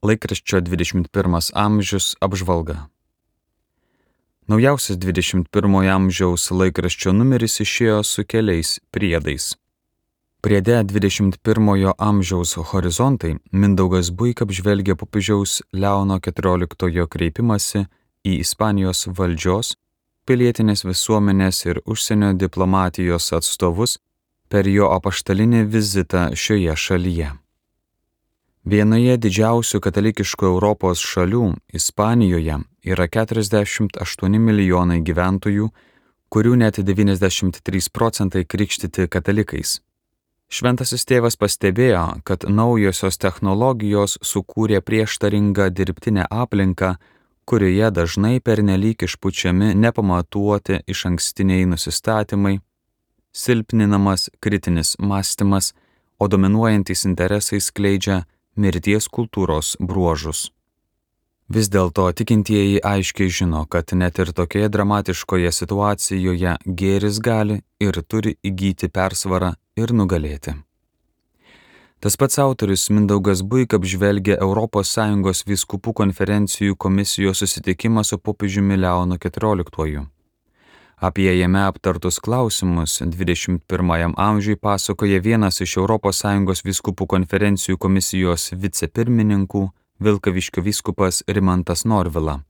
Laikraščio 21 amžius apžvalga. Naujausias 21 amžiaus laikraščio numeris išėjo su keliais priedais. Priede 21 amžiaus horizontai Mindaugas Buika apžvelgia popiežiaus Leono XIV kreipimąsi į Ispanijos valdžios, pilietinės visuomenės ir užsienio diplomatijos atstovus per jo apaštalinį vizitą šioje šalyje. Vienoje didžiausių katalikiškų Europos šalių, Ispanijoje, yra 48 milijonai gyventojų, kurių net 93% krikštyti katalikais. Šventasis tėvas pastebėjo, kad naujosios technologijos sukūrė prieštaringą dirbtinę aplinką, kurioje dažnai pernelyg išpučiami nepamatuoti išankstiniai nusistatymai, silpninamas kritinis mąstymas, o dominuojantys interesai skleidžia mirties kultūros bruožus. Vis dėlto tikintieji aiškiai žino, kad net ir tokioje dramatiškoje situacijoje gėris gali ir turi įgyti persvarą ir nugalėti. Tas pats autorius Mindaugas Buika apžvelgia ES vyskupų konferencijų komisijos susitikimą su popiežiumi Leonu XIV. Apie jame aptartus klausimus 21 amžiui pasakoja vienas iš ES vyskupų konferencijų komisijos vicepirmininkų, Vilkaviškio vyskupas Rimantas Norvila.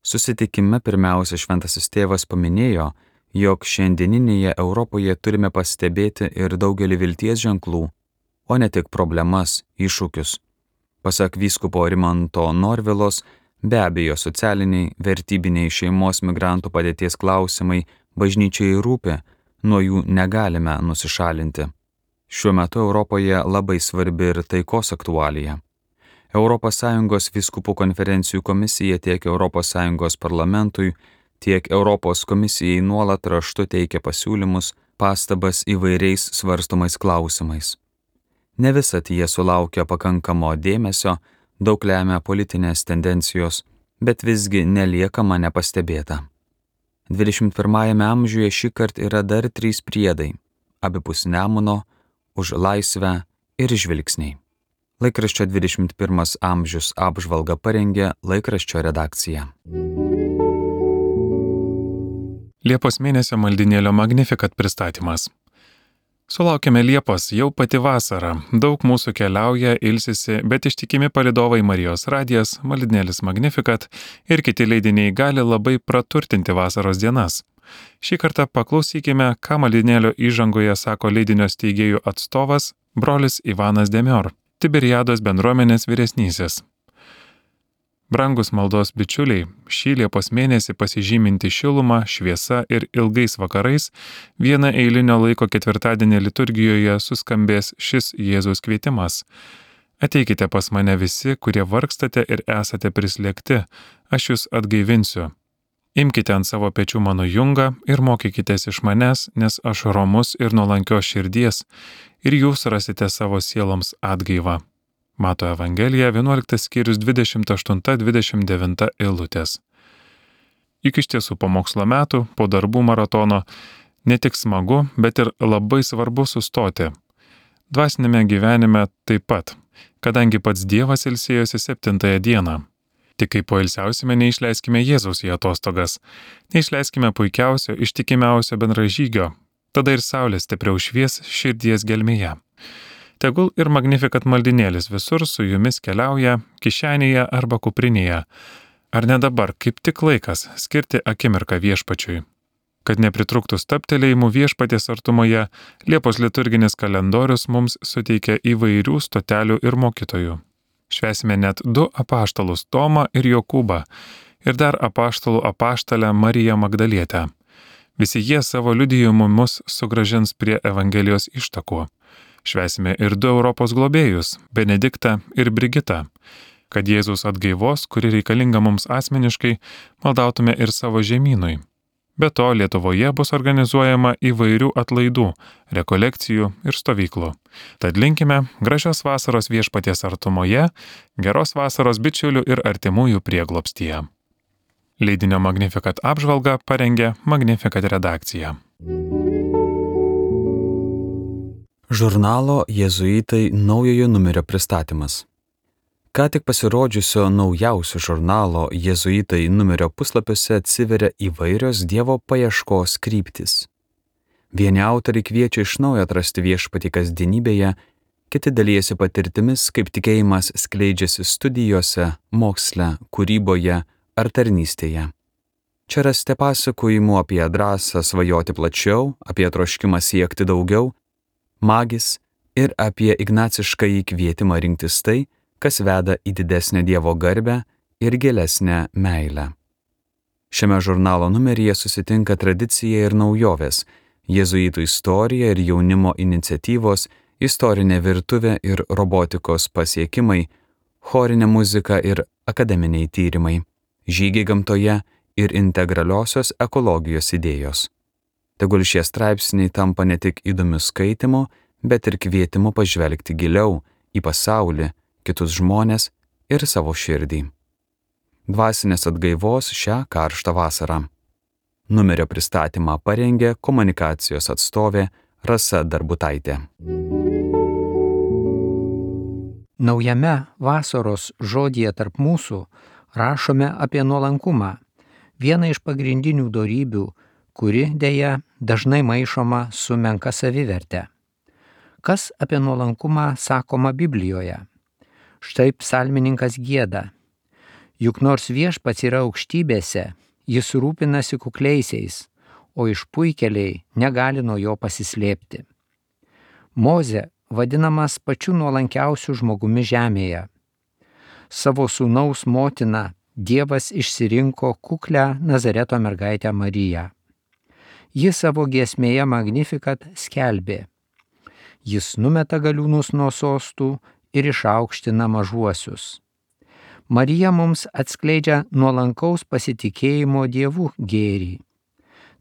Susitikime pirmiausia šventasis tėvas paminėjo, jog šiandieninėje Europoje turime pastebėti ir daugelį vilties ženklų, o ne tik problemas, iššūkius. Pasak vyskupo Rimanto Norvilos, be abejo socialiniai, vertybiniai šeimos migrantų padėties klausimai bažnyčiai rūpi, nuo jų negalime nusišalinti. Šiuo metu Europoje labai svarbi ir taikos aktualija. ES vyskupų konferencijų komisija tiek ES parlamentui, tiek Europos komisijai nuolat raštu teikia pasiūlymus, pastabas įvairiais svarstomais klausimais. Ne visad jie sulaukia pakankamo dėmesio, daug lemia politinės tendencijos, bet visgi neliekama nepastebėta. 21 amžiuje šįkart yra dar 3 priedai – abipus Nemuno, už laisvę ir žvilgsniai. Laikraščio 21 amžius apžvalgą parengė laikraščio redakcija. Liepos mėnesio maldinėlio Magnificat pristatymas. Sulaukėme Liepos, jau pati vasara, daug mūsų keliauja, ilsisi, bet ištikimi palydovai Marijos radijas, maldinėlis Magnificat ir kiti leidiniai gali labai praturtinti vasaros dienas. Šį kartą paklausykime, ką maldinėlio įžangoje sako leidinio steigėjų atstovas, brolis Ivanas Demior, Tiberiados bendruomenės vyresnysis. Brangus maldos bičiuliai, šį Liepos mėnesį pasižyminti šilumą, šviesa ir ilgais vakarais, vieną eilinio laiko ketvirtadienį liturgijoje suskambės šis Jėzaus kvietimas. Ateikite pas mane visi, kurie vargstate ir esate prislėgti, aš jūs atgaivinsiu. Imkite ant savo pečių mano jungą ir mokykitės iš manęs, nes aš romus ir nuolankios širdies, ir jūs rasite savo sieloms atgaivą. Mato Evangelija 11 skyrius 28-29 eilutės. Juk iš tiesų po mokslo metų, po darbų maratono, ne tik smagu, bet ir labai svarbu sustoti. Dvasinėme gyvenime taip pat, kadangi pats Dievas ilsėjosi 7 dieną. Tik kai poilsiausime, neišleiskime Jėzaus į atostogas, neišleiskime puikiausio, ištikimiausio bendražygio, tada ir saulė stipriau švies širdies gelmėje. Tegul ir Magnificat maldinėlis visur su jumis keliauja, kišenėje arba kuprinėje. Ar ne dabar, kaip tik laikas, skirti akimirką viešpačiui? Kad nepritrūktų stabtelėjimų viešpaties artumoje, Liepos liturginis kalendorius mums suteikia įvairių stotelių ir mokytojų. Švęsime net 2 apaštalus Tomą ir Jokūbą ir dar apaštalų apaštalę Mariją Magdalietę. Visi jie savo liudijimu mus sugrąžins prie Evangelijos ištakų. Švęsime ir 2 Europos globėjus – Benediktą ir Brigitą. Kad Jėzaus atgaivos, kuri reikalinga mums asmeniškai, maldautume ir savo žemynui. Be to, Lietuvoje bus organizuojama įvairių atlaidų, rekolekcijų ir stovyklų. Tad linkime gražios vasaros viešpaties artumoje, geros vasaros bičiulių ir artimųjų prieglobstyje. Leidinio Magnificat apžvalgą parengė Magnificat redakcija. Žurnalo Jėzuitai naujojo numerio pristatymas. Ką tik pasirodžiusio naujausio žurnalo Jėzuitai numerio puslapiuose atsiveria įvairios Dievo paieškos kryptis. Vieni autoriai kviečia iš naujo atrasti viešpatį kasdienybėje, kiti dalijasi patirtimis, kaip tikėjimas skleidžiasi studijose, moksle, kūryboje ar tarnystėje. Čia rasite pasakojimų apie drąsą svajoti plačiau, apie troškimą siekti daugiau, magis ir apie ignaciškąjį kvietimą rinktis tai, kas veda į didesnę Dievo garbę ir gilesnę meilę. Šiame žurnalo numeryje susitinka tradicija ir naujovės, jėzuitų istorija ir jaunimo iniciatyvos, istorinė virtuvė ir robotikos pasiekimai, chorinė muzika ir akademiniai tyrimai, žygiai gamtoje ir integraliosios ekologijos idėjos. Tegul šie straipsniai tampa ne tik įdomiu skaitimu, bet ir kvietimu pažvelgti giliau į pasaulį, kitus žmonės ir savo širdį. Dvasinės atgaivos šią karštą vasarą. Numerio pristatymą parengė komunikacijos atstovė Rasa Darbutaitė. Naujame vasaros žodyje tarp mūsų rašome apie nuolankumą, vieną iš pagrindinių dorybių, kuri deja dažnai maišoma su menka saviverte. Kas apie nuolankumą sakoma Biblijoje? Štai psalmininkas gieda: juk nors viešpats yra aukštybėse, jis rūpinasi kukliaisiais, o išpuikėliai negali nuo jo pasislėpti. Mozė vadinamas pačiu nuolankiausiu žmogumi žemėje. Savo sūnaus motiną Dievas išsirinko kuklią Nazareto mergaitę Mariją. Ji savo giesmėje Magnificat skelbė: jis numeta galiūnus nuo sostų ir išaukština mažuosius. Marija mums atskleidžia nuolankaus pasitikėjimo Dievu gėrį.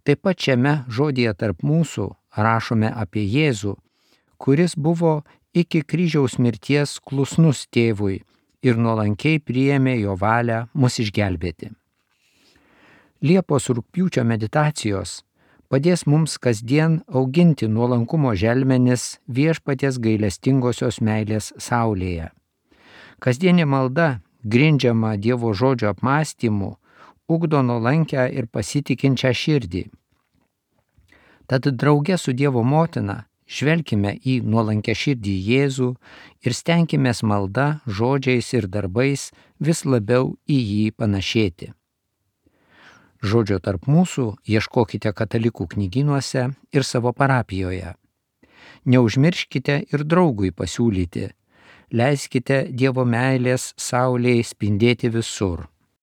Taip pat šiame žodyje tarp mūsų rašome apie Jėzų, kuris buvo iki kryžiaus mirties klusnus tėvui ir nuolankiai priėmė jo valią mus išgelbėti. Liepos rugpjūčio meditacijos padės mums kasdien auginti nuolankumo želmenis viešpaties gailestingosios meilės saulėje. Kasdienė malda, grindžiama Dievo žodžio apmąstymu, ugdo nuolankę ir pasitikinčią širdį. Tad drauge su Dievo motina žvelkime į nuolankę širdį Jėzų ir stenkimės malda, žodžiais ir darbais vis labiau į jį panašėti. Žodžio tarp mūsų ieškokite katalikų knygynuose ir savo parapijoje. Neužmirškite ir draugui pasiūlyti. Leiskite Dievo meilės saulėje spindėti visur.